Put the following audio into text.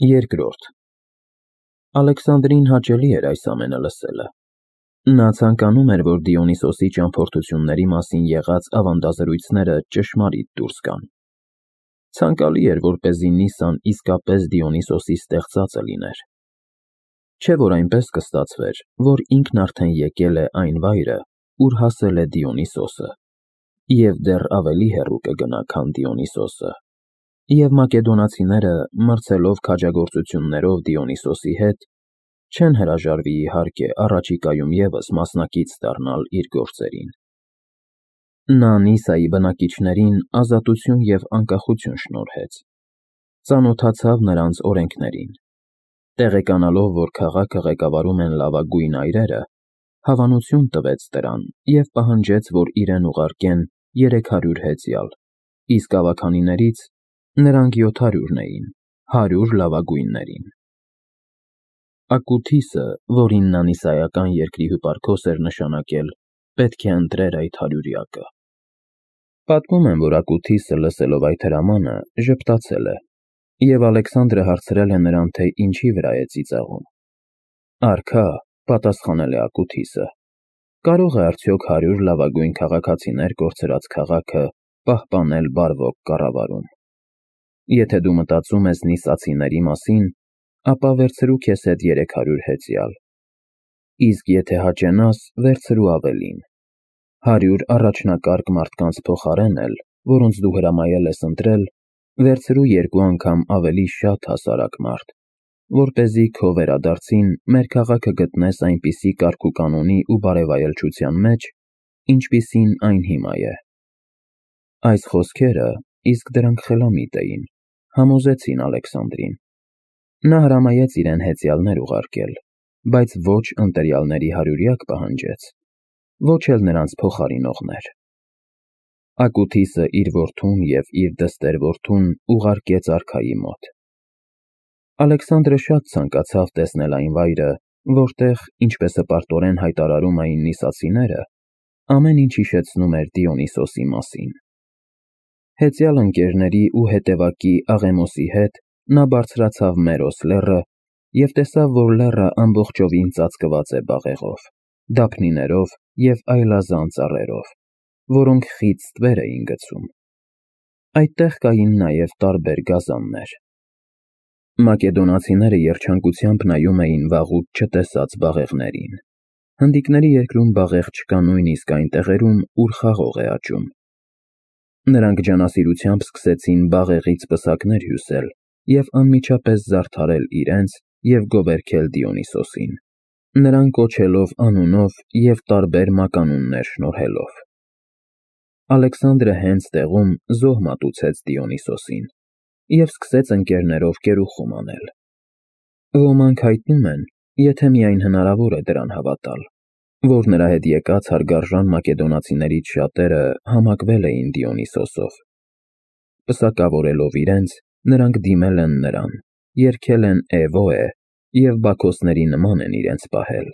Երկրորդ Ալեքսանդրին հաճելի էր այս ամենը լսելը։ Նա ցանկանում էր, որ Դիոնիսոսի ճամփորդությունների մասին եղած ավանդազրույցները ճշմարիտ դուրս գան։ Ցանկալի էր, որպեսզի Նիսան իսկապես Դիոնիսոսի ստեղծածը լիներ։ Չէ՞ որ այնպես կստացվեր, որ ինքն արդեն եկել է այն վայրը, ուր հասել է Դիոնիսոսը, և դեռ ավելի հեռու կգնա, քան Դիոնիսոսը, և մակեդոնացիները, մրցելով քաջագործություններով Դիոնիսոսի հետ, չեն հրաժարվի, իհարկե, առաջիկայում ևս մասնակից դառնալ իր գործերին։ Նա Նիսայի բնակիչներին ազատություն և անկախություն շնորհեց, ծանոթացավ նրանց օրենքներին, տեղեկանալով, որ քաղաքը ղեկավարում են լավագույն այրերը, հավանություն տվեց դրան և պահանջեց, որ իրեն ուղարկեն 300 հեծյալ, իսկ ավագանիներից նրանք 700 էին, 100 լավագույններին։ Ակութիսը, որին նա նիսայական երկրի հյուպարքոս էր նշանակել, պետք է ընտրեր այդ հարյուրյակը։ Պատմում են, որ Ակութիսը, լսելով այդ հրամանը, ժպտացել է, և Ալեքսանդրը հարցրել է նրան, թե ինչի վրա է ծիծաղում։ Արքա, պատասխանել է Ակութիսը, կարող է արդյոք 100 լավագույն քաղաքացիներ կորցրած քաղաքը պահպանել բարվոք կառավարում։ Եթե դու մտածում ես նիսացիների մասին, ապա վերցրու քեզ հետ 300 հեծյալ, իսկ եթե հաճենաս, վերցրու ավելին, 100 առաջնակարգ մարդկանց փոխարեն էլ, որոնց դու հրամայել ես ընտրել, վերցրու 2 անգամ ավելի շատ հասարակ մարդ, որպեսզի քո վերադարձին մեր քաղաքը գտնես այնպիսի կարգուկանոնի ու բարևայելչության մեջ, ինչպիսին այն հիմա է։ Այս խոսքերը, իսկ դրանք խելամիտ էին, համոզեցին Ալեքսանդրին։ Նա հրամայեց իրեն հեծյալներ ուղարկել, բայց ոչ ընտրյալների հարյուրյակ պահանջեց, ոչ էլ նրանց փոխարինողներ։ Ակութիսը իր որդուն և իր դստեր֊որդուն ուղարկեց արքայի մոտ։ Ալեքսանդրը շատ ցանկացավ տեսնել այն վայրը, որտեղ, ինչպես հպարտորեն հայտարարում էին նիսացիները, ամեն ինչ հիշեցնում էր Դիոնիսոսի մասին։ Հեծյալ ընկերների ու հետևակի Աղեմոսի հետ նա բարձրացավ Մերոս լեռը և տեսավ, որ լեռը ամբողջովին ծածկված է բաղեղով, դափնիներով և այլազան ծառերով, որոնք խիտ ստվեր էին գցում։ Այդտեղ կային նաև տարբեր գազաններ։ Մակեդոնացիները երջանկությամբ նայում էին վաղուց չտեսած բաղեղներին։ Հնդիկների երկրում բաղեղ չկա նույնիսկ այն տեղերում, ուր խաղող է աճում։ Նրանք ջանասիրությամբ սկսեցին բաղեղից պսակներ հյուսել և անմիջապես զարդարել իրենց և գովերգել Դիոնիսոսին, նրան կոչելով անունով և տարբեր մականուններ շնորհելով։ Ալեքսանդրը հենց տեղում զոհ մատուցեց Դիոնիսոսին և սկսեց ընկերներով կերուխում անել։ Ոմանք հայտնում են, եթե միայն հնարավոր է դրան հավատալ, որ նրա հետ եկած հարգարժան մակեդոնացիներից շատերը համակվել էին Դիոնիսոսով։ Պսակավորելով իրենց, նրանք դիմել են նրան, երգել են Էվոե և բաքոսների նման են իրենց պահել։